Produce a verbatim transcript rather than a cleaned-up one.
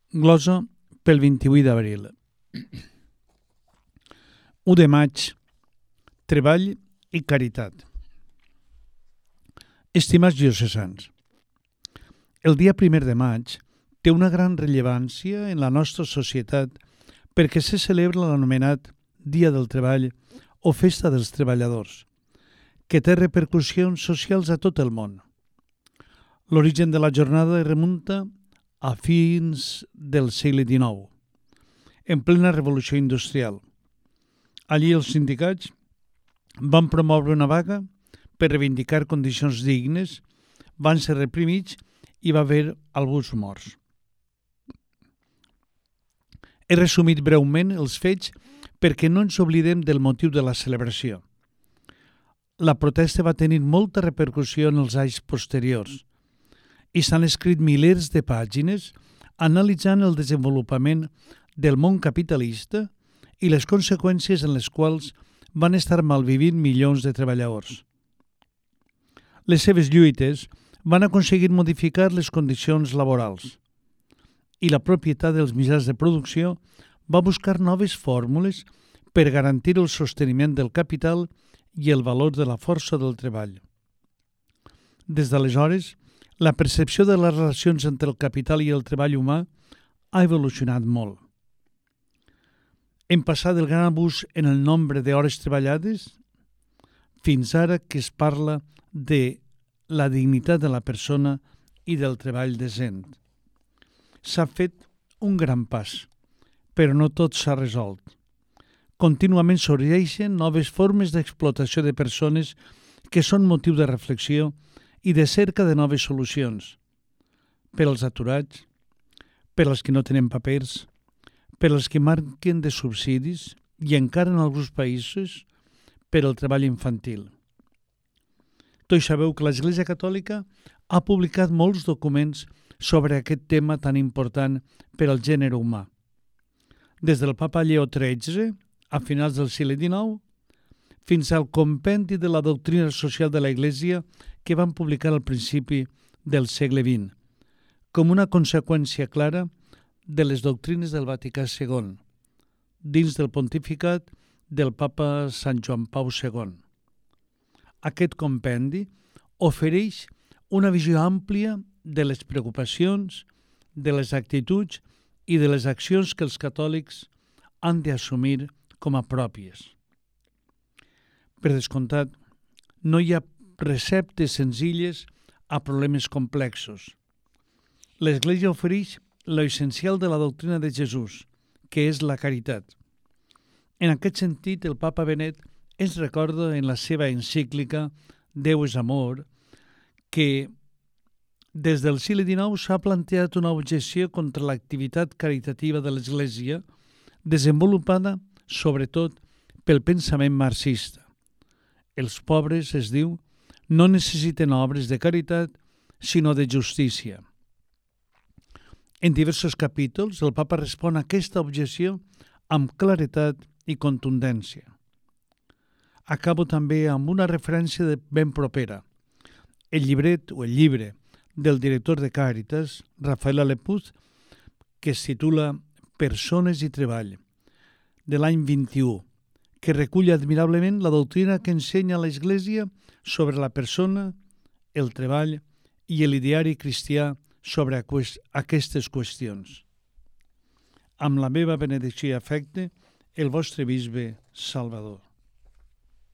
Glosa pel vint-i-vuit d'abril. u de maig. Treball i caritat. Estimats diocesans, el dia primer de maig té una gran rellevància en la nostra societat perquè se celebra l'anomenat Dia del Treball o Festa dels Treballadors, que té repercussions socials a tot el món. L'origen de la jornada es remunta a fins del segle dinou, en plena revolució industrial. Allí els sindicats van promoure una vaga per reivindicar condicions dignes, van ser reprimits i va haver alguns morts. He resumit breument els fets perquè no ens oblidem del motiu de la celebració. La protesta va tenir molta repercussió en els anys posteriors i s'han escrit milers de pàgines analitzant el desenvolupament del món capitalista i les conseqüències en les quals van estar malvivint milions de treballadors. Les seves lluites van aconseguir modificar les condicions laborals i la propietat dels mitjans de producció va buscar noves fórmules per garantir el sosteniment del capital i el valor de la força del treball. Des d'aleshores, la percepció de les relacions entre el capital i el treball humà ha evolucionat molt. Hem passat del gran abús en el nombre d'hores treballades fins ara que es parla de la dignitat de la persona i del treball decent. S'ha fet un gran pas, però no tot s'ha resolt. Contínuament sorgeixen noves formes d'explotació de persones que són motiu de reflexió i de cerca de noves solucions per als aturats, per als que no tenen papers, per als que manquen de subsidis i encara en alguns països per al treball infantil. Tots sabeu que l'Església Catòlica ha publicat molts documents sobre aquest tema tan important per al gènere humà. Des del papa Lleó tretze, a finals del segle dinou, fins al compendi de la doctrina social de l'Església que van publicar al principi del segle vint, com una conseqüència clara de les doctrines del Vaticà segon, dins del pontificat del papa Sant Joan Pau segon. Aquest compendi ofereix una visió àmplia de les preocupacions, de les actituds i de les accions que els catòlics han d'assumir com a pròpies. Per descomptat, no hi ha receptes senzilles a problemes complexos. L'Església ofereix l'essencial de la doctrina de Jesús, que és la caritat. En aquest sentit, el papa Benet ens recorda en la seva encíclica Déu és amor que des del segle dinou s'ha planteat una objecció contra l'activitat caritativa de l'Església, desenvolupada sobretot pel pensament marxista. Els pobres, es diu, no necessiten obres de caritat, sinó de justícia. En diversos capítols, el papa respon a aquesta objecció amb claretat i contundència. Acabo també amb una referència de ben propera. El llibret o el llibre del director de Càritas, Rafael Alepuz, que es titula Persones i treball, de l'any vint-i-u, que recull admirablement la doctrina que ensenya l'Església sobre la persona, el treball i l'ideari cristià sobre aquestes qüestions. Amb la meva benedicció i afecte, el vostre bisbe Salvador.